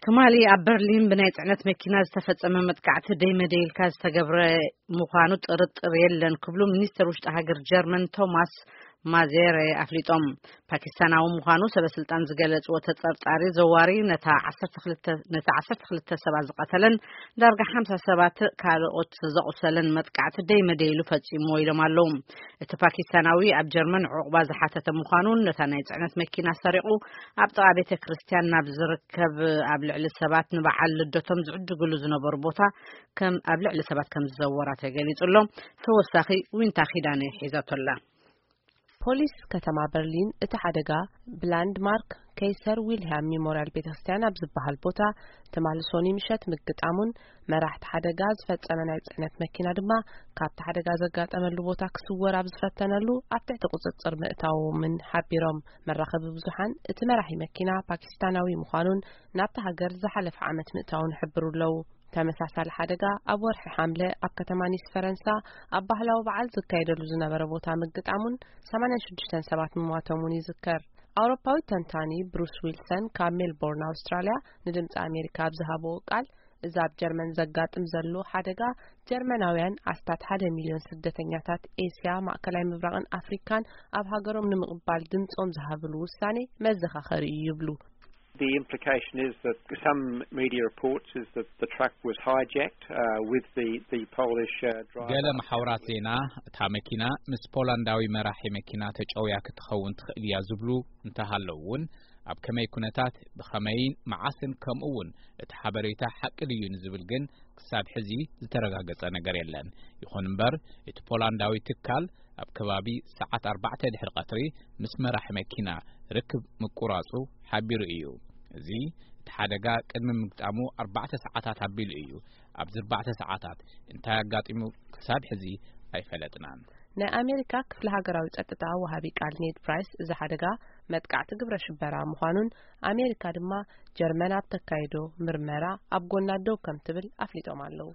ትማሊ ኣብ በርሊን ብናይ ጽዕነት መኪና ዝተፈጸመ መጥቃዕቲ ደይ መደይ ኢልካ ዝተገብረ ምዃኑ ጥርጥር የለን ክብሉ ሚኒስተር ውሽጢ ሃገር ጀርመን ቶማስ ማዜረ ኣፍሊጦም። ፓኪስታናዊ ምዃኑ ሰበ ስልጣን ዝገለጽዎ ተጠርጣሪ ዘዋሪ ነታ ዓሰርተ ክልተ ነታ ዓሰርተ ክልተ ሰባት ዝቐተለን ዳርጋ ሓምሳ ሰባት ካልኦት ዘቑሰለን መጥቃዕቲ ደይ መደይ ኢሉ ፈጺምዎ ኢሎም ኣለዉ። እቲ ፓኪስታናዊ ኣብ ጀርመን ዑቕባ ዝሓተተ ምዃኑን ነታ ናይ ጽዕነት መኪና ሰሪቑ ኣብ ጥቓ ቤተ ክርስቲያን ናብ ዝርከብ ኣብ ልዕሊ ሰባት ንበዓል ልደቶም ዝዕድግሉ ዝነበሩ ቦታ ከም ኣብ ልዕሊ ሰባት ከም ዝዘወራ ተገሊጹ ኣሎ። ተወሳኺ ዊንታ ኪዳነ ሒዛቶ ኣላ። ፖሊስ ከተማ በርሊን እቲ ሓደጋ ብላንድማርክ ከይሰር ዊልያም ሚሞርያል ቤተክርስትያን ኣብ ዝበሃል ቦታ ትማሊ ሶኒ ምሸት ምግጣሙን መራሕቲ ሓደጋ ዝፈጸመ ናይ ጽዕነት መኪና ድማ ካብቲ ሓደጋ ዘጋጠመሉ ቦታ ክስወር ኣብ ዝፈተነሉ ኣብ ትሕቲ ቁጽጽር ምእታዎምን ሓቢሮም። መራኸቢ ብዙሓን እቲ መራሒ መኪና ፓኪስታናዊ ምዃኑን ናብቲ ሃገር ዝሓለፈ ዓመት ምእታውን ይሕብሩ ኣለዉ። ተመሳሳሊ ሓደጋ ኣብ ወርሒ ሓምለ ኣብ ከተማ ኒስ ፈረንሳ ኣብ ባህላዊ በዓል ዝካየደሉ ዝነበረ ቦታ ምግጣሙን ሰማንያን ሽዱሽተን ሰባት ምሟቶምን ይዝከር። ኣውሮፓዊ ተንታኒ ብሩስ ዊልሰን ካብ ሜልቦርን ኣውስትራልያ ንድምፂ ኣሜሪካ ኣብ ዝሃብዎ ቃል፣ እዚ ኣብ ጀርመን ዘጋጥም ዘሎ ሓደጋ ጀርመናውያን ኣስታት ሓደ ሚልዮን ስደተኛታት ኤስያ፣ ማእከላይ ምብራቕን ኣፍሪካን ኣብ ሃገሮም ንምቕባል ድምፆም ዝሃብሉ ውሳኔ መዘኻኸሪ እዩ ይብሉ። The implication is that some media reports is that the truck was hijacked uh, with the, the Polish uh, driver. ገለ መሓውራት ዜና እታ መኪና ምስ ፖላንዳዊ መራሒ መኪና ተጨውያ ክትኸውን ትኽእል እያ ዝብሉ እንተሃለዉ እውን፣ ኣብ ከመይ ኩነታት፣ ብኸመይን መዓስን፣ ከምኡ እውን እቲ ሓበሬታ ሓቂ ድዩ ንዝብል ግን ክሳብ ሕዚ ዝተረጋገጸ ነገር የለን። ይኹን እምበር፣ እቲ ፖላንዳዊ ትካል ኣብ ከባቢ ሰዓት ኣርባዕተ ድሕሪ ቀትሪ ምስ መራሒ መኪና ርክብ ምቁራጹ ሓቢሩ እዩ። እዚ እቲ ሓደጋ ቅድሚ ምግጣሙ ኣርባዕተ ሰዓታት ኣቢሉ እዩ። ኣብዚ ኣርባዕተ ሰዓታት እንታይ ኣጋጢሙ ክሳብ ሕዚ ኣይፈለጥናን። ናይ ኣሜሪካ ክፍሊ ሃገራዊ ጸጥታ ወሃቢ ቃል ኔድ ፕራይስ፣ እዚ ሓደጋ መጥቃዕቲ ግብረ ሽበራ ምዃኑን ኣሜሪካ ድማ ጀርመን ኣብ ተካይዶ ምርመራ ኣብ ጎና ደው ከም ትብል ኣፍሊጦም ኣለዉ።